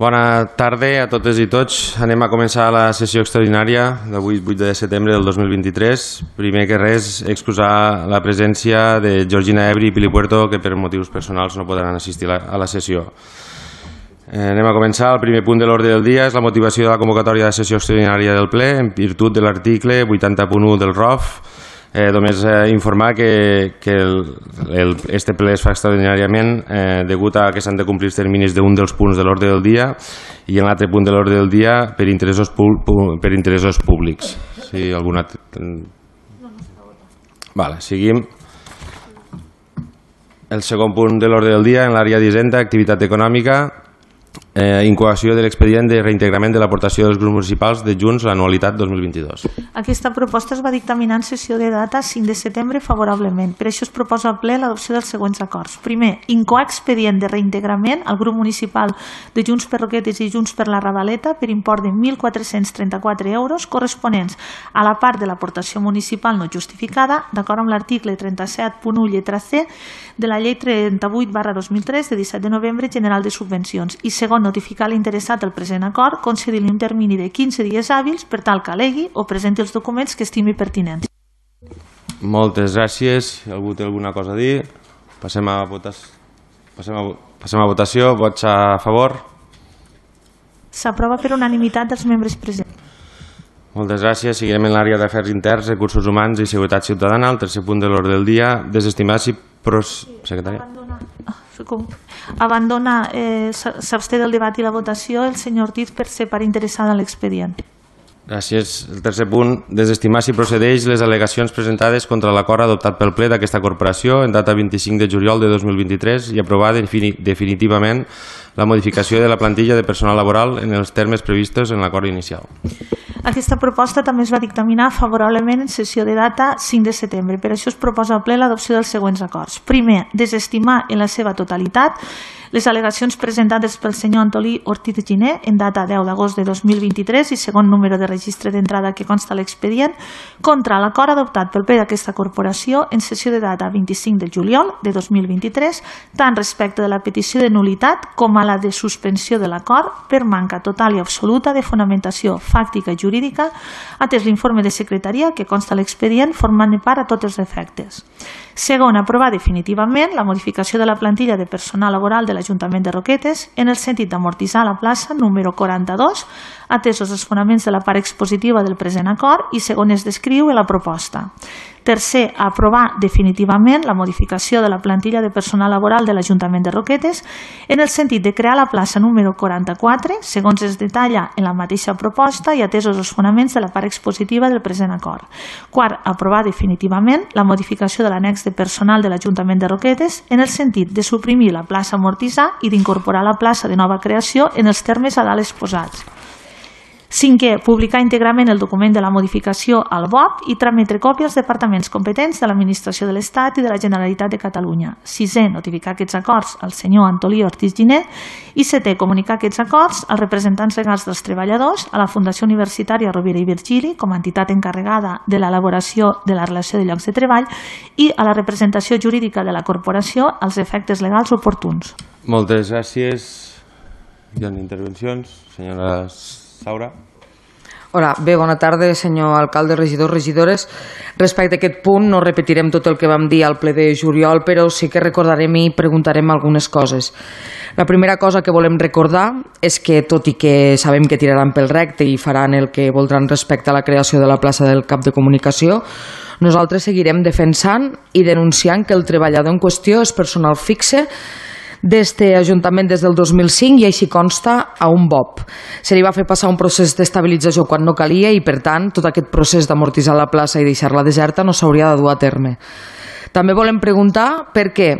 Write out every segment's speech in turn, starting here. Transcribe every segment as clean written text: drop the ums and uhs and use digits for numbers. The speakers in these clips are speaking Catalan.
Bona tarda a totes i tots. Anem a començar la sessió extraordinària d'avui, 8 de setembre del 2023. Primer que res, excusar la presència de Georgina Ebri i Pili Puerto, que per motius personals no podran assistir a la sessió. Anem a començar. El primer punt de l'ordre del dia és la motivació de la convocatòria de sessió extraordinària del ple en virtut de l'article 80.1 del ROF. Només informar que este ple es fa extraordinàriament degut a que s'han de complir els terminis d'un dels punts de l'ordre del dia i en l'altre punt de l'ordre del dia per interessos públics. Si alguna... Seguim. El segon punt de l'ordre del dia en l'àrea d'Hisenda, activitat econòmica, incoació de l'expedient de reintegrament de l'aportació dels grups municipals de Junts a l'anualitat 2022. Aquesta proposta es va dictaminar en sessió de data 5 de setembre favorablement. Per això es proposa al ple l'adopció dels següents acords. Primer, incoar expedient de reintegrament al grup municipal de Junts per Roquetes i Junts per la Ravaleta per import de 1.434 euros corresponents a la part de l'aportació municipal no justificada, d'acord amb l'article 37.1 lletra C de la llei 38/2003 de 17 de novembre general de subvencions. I segon, notificar l'interessat el present acord, concedir-li un termini de 15 dies hàbils per tal que alegui o presenti els documents que estimi pertinents. Moltes gràcies. Si algú té alguna cosa a dir, passem a votació. Vots a favor? S'aprova per unanimitat dels membres presents. Moltes gràcies. Seguirem en l'àrea d'afers interns, recursos humans i seguretat ciutadana. El tercer punt de l'ordre del dia, desestimar si... Secretària. S'absté del debat i la votació el senyor Ortiz per ser part interessada en l'expedient. Gràcies. El tercer punt, desestimar si procedeix les al·legacions presentades contra l'acord adoptat pel ple d'aquesta corporació en data 25 de juliol de 2023 i aprovar definitivament la modificació de la plantilla de personal laboral en els termes previstos en l'acord inicial. Aquesta proposta també es va dictaminar favorablement en sessió de data 5 de setembre. Per això es proposa al ple l'adopció dels següents acords. Primer, desestimar en la seva totalitat les al·legacions presentades pel senyor Antolí Ortiz Giner en data 10 d'agost de 2023 i segon número de registre d'entrada que consta l'expedient contra l'acord adoptat pel ple d'aquesta corporació en sessió de data 25 de juliol de 2023, tant respecte de la petició de nul·litat com a la de suspensió de l'acord per manca total i absoluta de fonamentació fàctica i jurídica, atès l'informe de secretaria que consta l'expedient formant part a tots els efectes. Segon, aprovar definitivament la modificació de la plantilla de personal laboral de l'Ajuntament de Roquetes en el sentit d'amortitzar la plaça número 42, atesos els fonaments de la part expositiva del present acord i segon es descriu a la proposta. Tercer, aprovar definitivament la modificació de la plantilla de personal laboral de l'Ajuntament de Roquetes en el sentit de crear la plaça número 44, segons es detalla en la mateixa proposta i atesos els fonaments de la part expositiva del present acord. Quart, aprovar definitivament la modificació de l'annex de personal de l'Ajuntament de Roquetes en el sentit de suprimir la plaça amortitzar i d'incorporar la plaça de nova creació en els termes a dalt exposats. Cinquè, publicar íntegrament el document de la modificació al BOP i trametre còpia als departaments competents de l'Administració de l'Estat i de la Generalitat de Catalunya. Sisè, notificar aquests acords al senyor Antolí Ortiz Giner i setè, comunicar aquests acords als representants legals dels treballadors, a la Fundació Universitària Rovira i Virgili com a entitat encarregada de l'elaboració de la relació de llocs de treball i a la representació jurídica de la corporació als efectes legals oportuns. Moltes gràcies. Hi ha intervencions? Senyora Saura. Hola, bé, bona tarda, senyor alcalde, regidors, regidores. Respecte a aquest punt no repetirem tot el que vam dir al ple de juliol, però sí que recordarem i preguntarem algunes coses. La primera cosa que volem recordar és que, tot i que sabem que tiraran pel recte i faran el que voldran respecte a la creació de la plaça del cap de comunicació, nosaltres seguirem defensant i denunciant que el treballador en qüestió és personal fixe d'este Ajuntament des del 2005 i així consta a un BOP. Se li va fer passar un procés d'estabilització quan no calia i, per tant, tot aquest procés d'amortitzar la plaça i deixar-la deserta no s'hauria de dur a terme. També volem preguntar per què,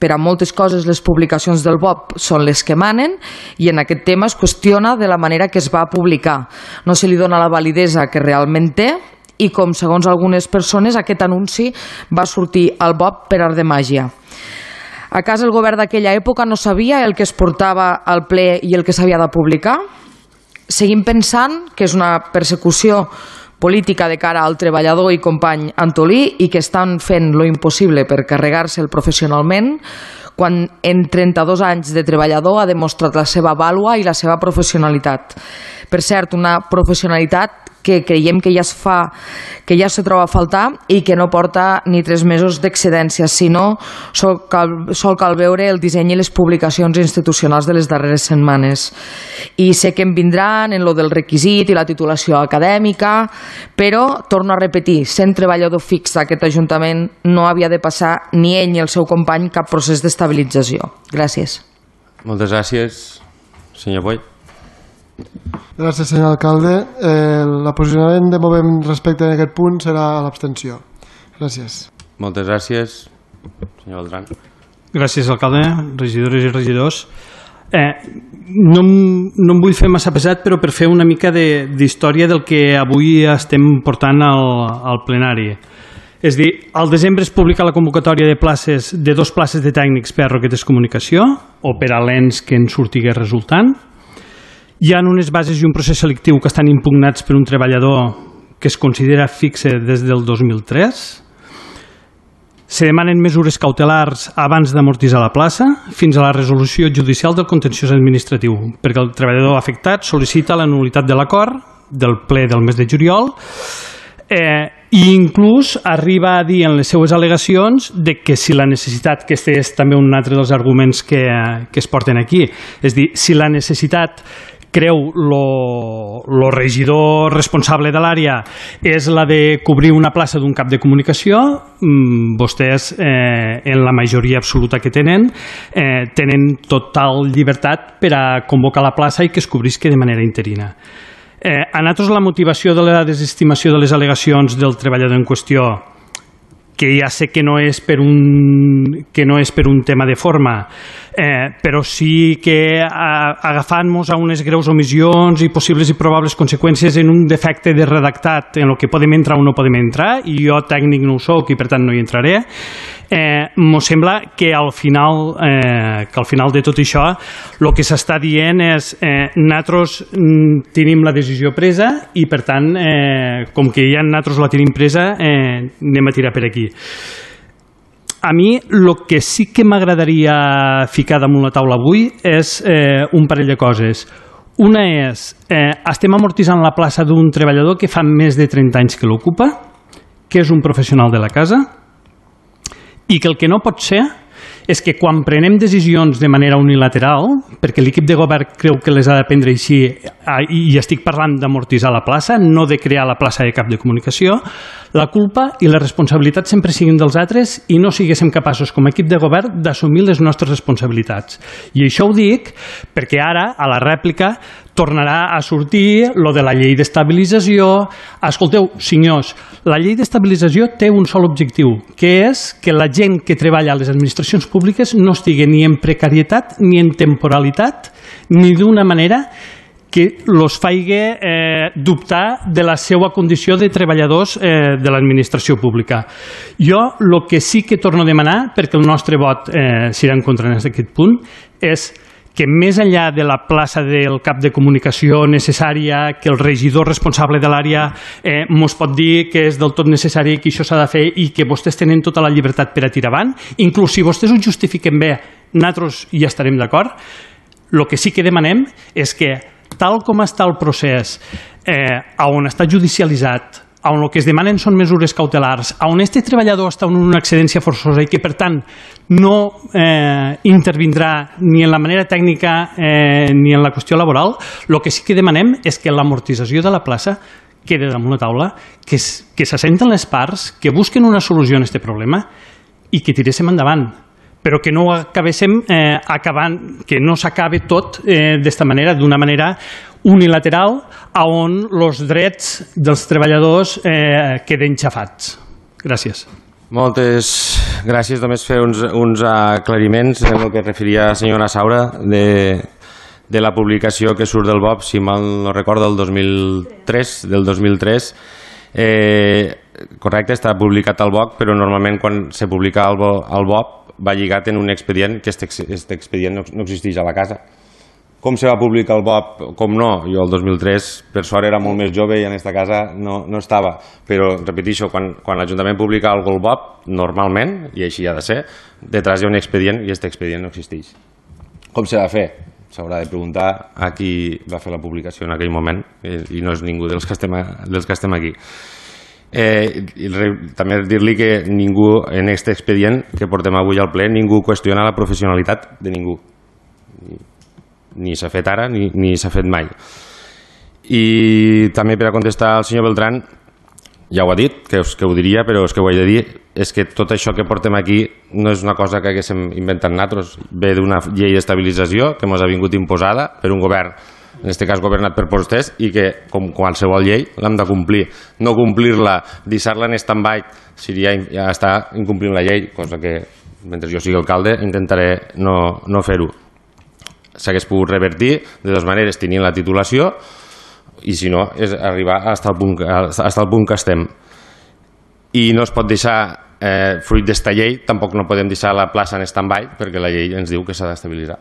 per a moltes coses, les publicacions del BOP són les que manen i en aquest tema es qüestiona de la manera que es va publicar. No se li dona la validesa que realment té i com, segons algunes persones, aquest anunci va sortir al BOP per art de màgia. A casa el govern d'aquella època no sabia el que es portava al ple i el que s'havia de publicar? Seguim pensant que és una persecució política de cara al treballador i company Antolí i que estan fent lo impossible per carregar-se'l professionalment quan en 32 anys de treballador ha demostrat la seva vàlua i la seva professionalitat. Per cert, una professionalitat que creiem que ja se troba a faltar i que no porta ni 3 mesos d'excedència, sinó sol cal veure el disseny i les publicacions institucionals de les darreres setmanes. I sé que em vindran en lo del requisit i la titulació acadèmica, però, torno a repetir, sent treballador fix d'aquest Ajuntament no havia de passar ni ell ni el seu company cap procés d'estabilització. Gràcies. Moltes gràcies, senyor Boy. Gràcies, senyor alcalde. El posicionament de Movem respecte a aquest punt serà l'abstenció. Gràcies. Moltes gràcies, senyor Beltrán. Gràcies, alcalde, regidores i regidors. No em vull fer massa pesat, però per fer una mica d'història del que avui estem portant al plenari. És a dir, al desembre es publica la convocatòria de 2 places de tècnics per a roquetes comunicació o per a l'ens que en surtigués resultant. Hi ha unes bases i un procés selectiu que estan impugnats per un treballador que es considera fixe des del 2003. Se demanen mesures cautelars abans d'amortitzar la plaça fins a la resolució judicial del contenciós administratiu, perquè el treballador afectat sol·licita la nul·litat de l'acord del ple del mes de juliol i inclús arriba a dir en les seues al·legacions que si la necessitat, que este és també un altre dels arguments que es porten aquí, és dir, si la necessitat creu el regidor responsable de l'àrea és la de cobrir una plaça d'un cap de comunicació, vostès, en la majoria absoluta que tenen total llibertat per a convocar la plaça i que es cobrisca de manera interina. A nosaltres la motivació de la desestimació de les al·legacions del treballador en qüestió, que ja sé que no és per un tema de forma, però sí que agafant-nos a unes greus omissions i possibles i probables conseqüències en un defecte de redactat en el que podem entrar o no podem entrar, i jo tècnic no ho soc i per tant no hi entraré, m'ho sembla que al final de tot això el que s'està dient és nosaltres tenim la decisió presa i per tant com que ja nosaltres la tenim presa anem a tirar per aquí. A mi el que sí que m'agradaria ficar damunt la taula avui és un parell de coses. Una és, estem amortitzant la plaça d'un treballador que fa més de 30 anys que l'ocupa, que és un professional de la casa, i que el que no pot ser és que quan prenem decisions de manera unilateral, perquè l'equip de govern creu que les ha de prendre així, i estic parlant d'amortitzar la plaça, no de crear la plaça de cap de comunicació, la culpa i la responsabilitat sempre siguin dels altres i no siguéssim capaços com a equip de govern d'assumir les nostres responsabilitats. I això ho dic perquè ara, a la rèplica, tornarà a sortir lo de la llei d'estabilització. Escolteu, senyors, la llei d'estabilització té un sol objectiu, que és que la gent que treballa a les administracions públiques no estigui ni en precarietat ni en temporalitat, ni d'una manera que els faci dubtar de la seva condició de treballadors de l'administració pública. Jo el que sí que torno a demanar, perquè el nostre vot serà en contra en aquest punt, és que més enllà de la plaça del cap de comunicació necessària, que el regidor responsable de l'àrea mos pot dir que és del tot necessari, que això s'ha de fer i que vostès tenen tota la llibertat per a tirar avant, inclús si vostès ho justifiquen bé, nosaltres hi estarem d'acord. El que sí que demanem és que, tal com està el procés, on està judicialitzat, on el que es demanen són mesures cautelars, on este treballador està en una excedència forçosa i que, per tant, no intervindrà ni en la manera tècnica ni en la qüestió laboral, el que sí que demanem és que l'amortització de la plaça quedi damunt la taula, que s'assenten les parts, que busquen una solució a aquest problema i que tiréssim endavant, però que no acabéssim que no s'acabe tot d'esta manera, d'una manera unilateral, on els drets dels treballadors queden xafats. Gràcies. Moltes gràcies. Només fer uns aclariments en el que es referia la senyora Saura de la publicació que surt del BOP, si mal no recordo, del 2003. Correcte, està publicat al BOP, però normalment quan se publica al BOP va lligat en un expedient, que aquest expedient no existeix a la casa. Com se va publicar el BOP? Com no? Jo el 2003, per sort, era molt més jove i en aquesta casa no estava. Però, repeteixo, quan l'Ajuntament publica el BOP, normalment, i així ha de ser, detrás hi ha un expedient i aquest expedient no existeix. Com se va fer? S'haurà de preguntar a qui va fer la publicació en aquell moment i no és ningú dels que estem aquí. També dir-li que ningú en aquest expedient que portem avui al ple, ningú qüestiona la professionalitat de ningú. Ni s'ha fet ara ni s'ha fet mai. I també per a contestar al senyor Beltrán, ja ho ha dit, que ho diria, però és que ho he de dir, és que tot això que portem aquí no és una cosa que haguéssim inventat nosaltres, ve d'una llei d'estabilització que ens ha vingut imposada per un govern, en aquest cas governat per vostès, i que, com qualsevol llei, l'hem de complir. No complir-la, deixar-la en stand-by, seria ja estar incomplint la llei, cosa que, mentre jo sigui alcalde, intentaré no fer-ho. S'hagués pogut revertir de dues maneres, tenint la titulació, i si no, és arribar fins al punt que estem. I no es pot deixar, fruit d'esta llei, tampoc no podem deixar la plaça en stand-by, perquè la llei ens diu que s'ha d'estabilitzar.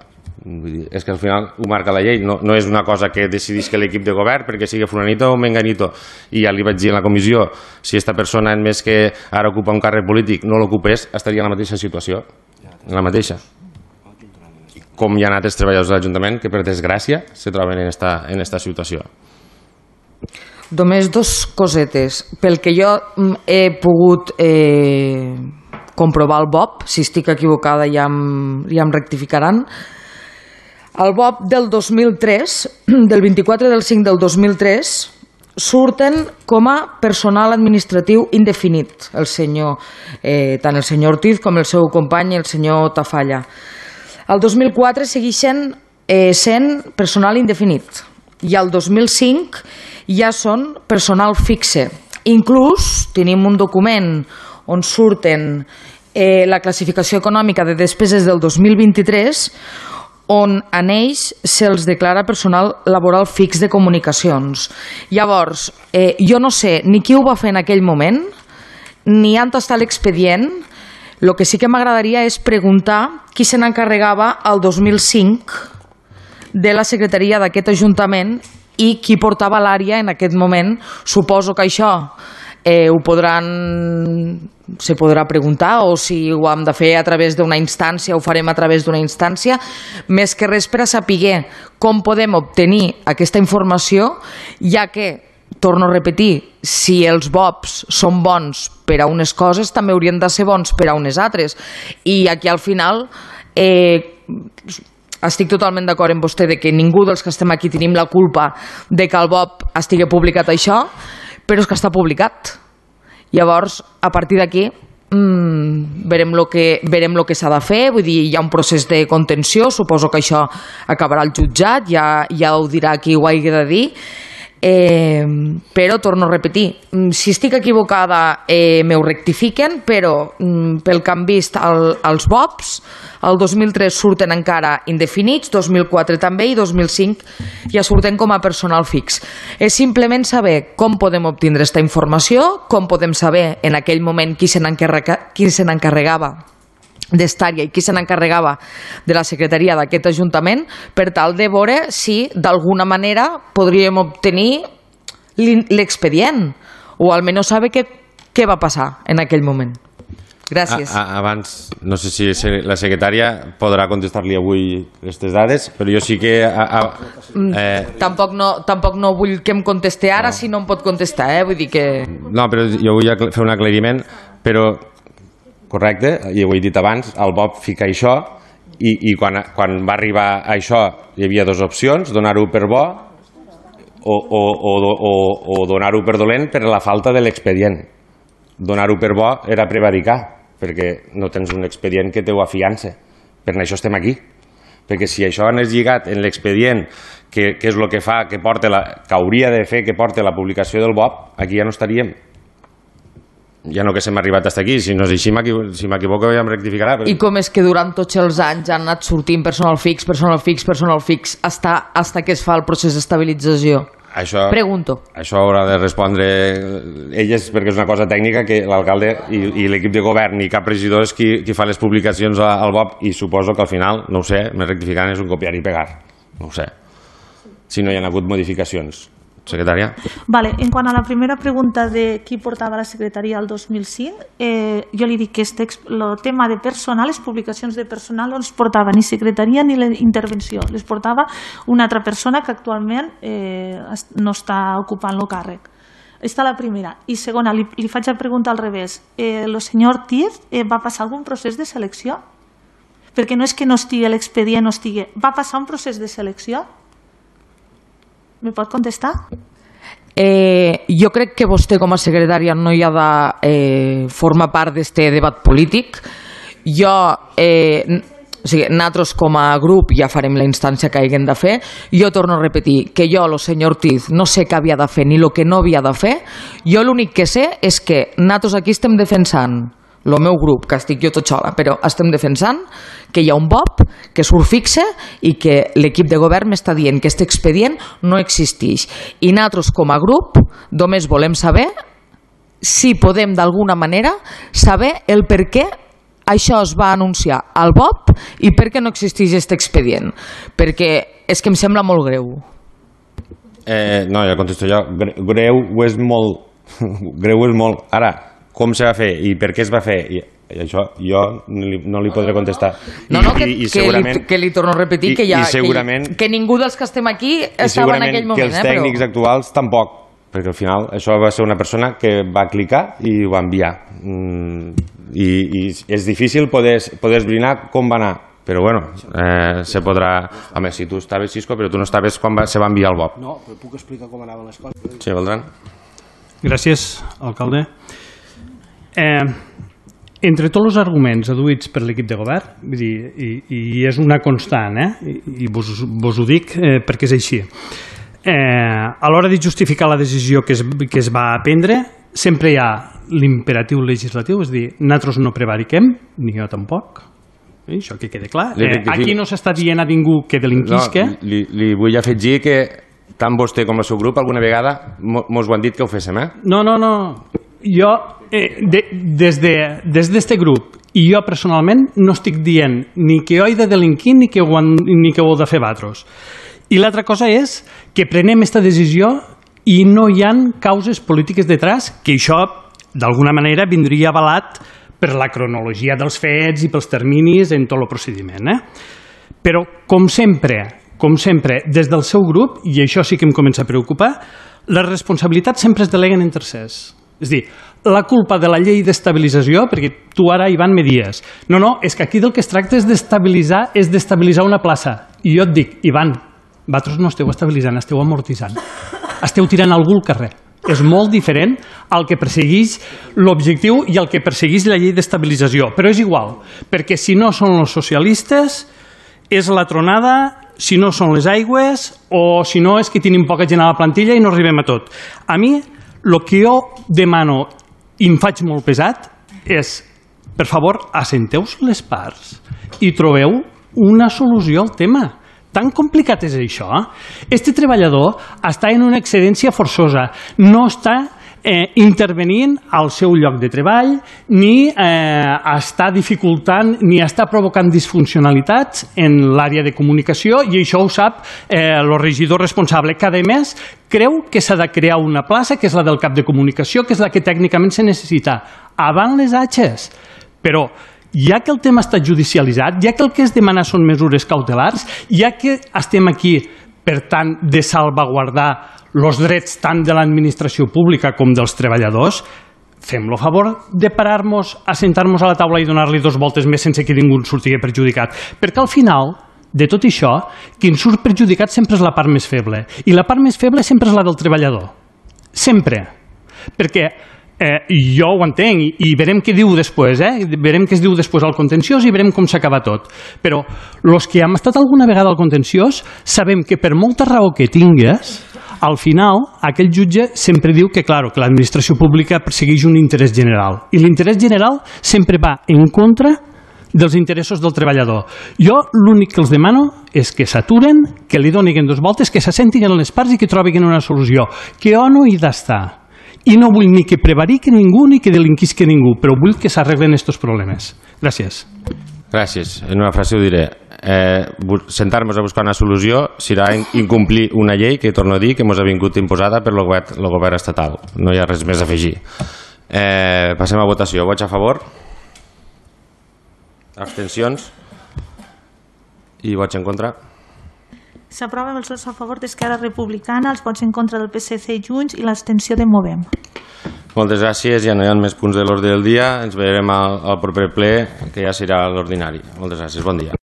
És que al final ho marca la llei, no és una cosa que decidís que l'equip de govern, perquè sigui fulanito o menganito. I ja li vaig dir en la comissió, si aquesta persona, en més que ara ocupa un càrrec polític, no l'ocupés, estaria en la mateixa situació. En la mateixa. Com hi ha altres treballadors de l'Ajuntament que, per desgràcia, se troben en esta situació. Només dos cosetes. Pel que jo he pogut comprovar el BOP, si estic equivocada ja em rectificaran, el BOP del 2003, del 24 del 5 del 2003, surten com a personal administratiu indefinit, tant el senyor Ortiz com el seu company, el senyor Tafalla. El 2004 segueixen sent personal indefinit i el 2005 ja són personal fixe. Inclús tenim un document on surten la classificació econòmica de despeses del 2023 on a ells se'ls declara personal laboral fix de comunicacions. Llavors, jo no sé ni qui ho va fer en aquell moment, ni on està l'expedient. El que sí que m'agradaria és preguntar qui se n'encarregava el 2005 de la secretaria d'aquest Ajuntament i qui portava l'àrea en aquest moment. Suposo que això se podrà preguntar, o si ho hem de fer a través d'una instància, ho farem a través d'una instància, més que res per a saber com podem obtenir aquesta informació, ja que, torno a repetir, si els BOPs són bons per a unes coses, també haurien de ser bons per a unes altres. I aquí al final estic totalment d'acord amb vostè de que ningú dels que estem aquí tenim la culpa de que el BOP estigui publicat això, però és que està publicat. Llavors, a partir d'aquí, verem el que s'ha de fer. Vull dir, hi ha un procés de contenció, suposo que això acabarà al jutjat, ja ho dirà qui ho hagi de dir. Però torno a repetir, si estic equivocada m'ho rectifiquen, però pel que han vist els BOPs, el 2003 surten encara indefinits, 2004 també i 2005 ja surten com a personal fix. És simplement saber com podem obtindre aquesta informació, com podem saber en aquell moment qui se n'encarregava d'Estària i qui se n'encarregava de la secretaria d'aquest Ajuntament, per tal de veure si d'alguna manera podríem obtenir l'expedient o almenys saber què va passar en aquell moment. Gràcies. Abans, no sé si la secretària podrà contestar-li avui aquestes dades, però jo sí que... Tampoc no vull que em contesti ara, si no em pot contestar, vull dir que... No, però jo vull fer un aclariment, però correcte, i ho he dit abans, el BOP fica això, i quan va arribar a això hi havia dues opcions, donar-ho per bo o donar-ho per dolent per la falta de l'expedient. Donar-ho per bo era prevaricar, perquè no tens un expedient que teu afiança. Per això estem aquí. Perquè si això anés lligat en l'expedient, que és el que fa, que hauria de fer que porti la publicació del BOP, aquí ja no estaríem. Ja no que s'hem arribat fins aquí, si no és així, si m'equivoco ja em rectificarà. I com és que durant tots els anys han anat sortint personal fix, hasta que es fa el procés d'estabilització? Pregunto. Això haurà de respondre elles, perquè és una cosa tècnica que l'alcalde i l'equip de govern i cap regidor és qui fa les publicacions al BOP, i suposo que al final, no ho sé, me rectificaran, és un copiar i pegar. no ho sé, si no hi ha hagut modificacions. Secretària. Vale, en quant a la primera pregunta de qui portava la secretaria el 2005, jo li dic que el tema de personal, les publicacions de personal no les portava ni secretaria ni la intervenció, les portava una altra persona que actualment no està ocupant el càrrec. Aquesta la primera. I segona, li faig la pregunta al revés. El senyor Tiz va passar algun procés de selecció? Perquè no és que no estigui l'expedient, no estigui... Va passar un procés de selecció? Me pot contestar? Jo crec que vostè com a secretària no hi ha de formar part d'aquest debat polític. Nosaltres com a grup ja farem la instància que haguem de fer. Jo torno a repetir que jo, el senyor Ortiz, no sé què havia de fer ni el que no havia de fer. Jo l'únic que sé és que nosaltres aquí estem defensant, el meu grup, que estic jo tot sola, però estem defensant que hi ha un BOP que surt fixe i que l'equip de govern m'està dient que aquest expedient no existeix. I nosaltres com a grup només volem saber si podem d'alguna manera saber el per què això es va anunciar al BOP i per què no existeix aquest expedient. Perquè és que em sembla molt greu. No, ja contesto jo. Greu és molt. Greu és molt. Ara, com se va fer i per què es va fer, i això jo no li podré contestar. Que li torno a repetir que ningú dels que estem aquí estava en aquell moment. I segurament que els tècnics actuals tampoc, perquè al final això va ser una persona que va clicar i ho va enviar. I és difícil poder esbrinar com va anar, però bueno, se podrà... Home, si tu estaves, Xisco, però tu no estaves quan se va enviar el BOP. No, però puc explicar com anaven les coses. Sí, Beltran. Gràcies, alcalde. Entre tots els arguments aduïts per l'equip de govern, vull dir, i és una constant, i vos ho dic perquè és així, a l'hora de justificar la decisió que es va prendre, sempre hi ha l'imperatiu legislatiu, és a dir, nosaltres no prevariquem, ni jo tampoc, això que quede clar. Aquí no s'està dient a ningú que delinquisca. Li vull afegir que tant vostè com el seu grup alguna vegada mos ho han dit que ho féssim, No. Jo, des d'este grup, i jo personalment no estic dient ni que ho he de delinquir ni que ho heu de fer vosaltres. I l'altra cosa és que prenem aquesta decisió i no hi ha causes polítiques detrás, que això d'alguna manera vindria avalat per la cronologia dels fets i pels terminis en tot el procediment. Però, com sempre, des del seu grup, i això sí que em comença a preocupar, les responsabilitats sempre es deleguen en tercers. És a dir, la culpa de la llei d'estabilització, perquè tu ara, Ivan, me dies, no, és que aquí del que es tracta és d'estabilitzar una plaça. I jo et dic, Ivan, vosaltres no esteu estabilitzant, esteu amortitzant. Esteu tirant algú al carrer. És molt diferent al que persegueix l'objectiu i al que persegueix la llei d'estabilització. Però és igual, perquè si no són els socialistes, és la tronada, si no són les aigües, o si no és que tenim poca gent a la plantilla i no arribem a tot. A mi, el que jo demano i em faig molt pesat és, per favor, assenteu-vos les parts i trobeu una solució al tema. Tan complicat és això? Este treballador està en una excedència forçosa, no està intervenint al seu lloc de treball, ni està dificultant, ni està provocant disfuncionalitats en l'àrea de comunicació, i això ho sap el regidor responsable, que a més creu que s'ha de crear una plaça, que és la del cap de comunicació, que és la que tècnicament se necessita. Avant les atxes. Però ja que el tema està judicialitzat, ja que el que es demana són mesures cautelars, ja que estem aquí, per tant, de salvaguardar els drets tant de l'administració pública com dels treballadors, fem-lo a favor de parar-nos, assentar-nos a la taula i donar-li 2 voltes més sense que ningú surti perjudicat. Perquè al final de tot això, qui en surt perjudicat sempre és la part més feble. I la part més feble sempre és la del treballador. Sempre. Perquè jo ho entenc i verem què diu després, verem què es diu després al contenciós i verem com s'acaba tot. Però els que hem estat alguna vegada al contenciós sabem que per molta raó que tingues, al final aquell jutge sempre diu que, clar, que l'administració pública persegueix un interès general. I l'interès general sempre va en contra dels interessos del treballador. Jo l'únic que els demano és que s'aturen, que li donin 2 voltes, que s'assentin en les parts i que trobin una solució. Que jo no hi he d'estar. I no vull ni que prevariqui ningú ni que delinquisqui ningú, però vull que s'arreglen aquests problemes. Gràcies. Gràcies. En una frase ho diré. sentar-nos a buscar una solució serà incomplir una llei que, torno a dir, que ens ha vingut imposada per el govern estatal. No hi ha res més a afegir. Passem a votació. Vots a favor? Abstencions? I vots en contra? S'aprova amb els vots a favor d'Esquerra Republicana, els vots en contra del PSC i Junts i l'abstenció de Movem. Moltes gràcies, ja no hi ha més punts de l'ordre del dia. Ens veurem al proper ple, que ja serà l'ordinari. Moltes gràcies, bon dia.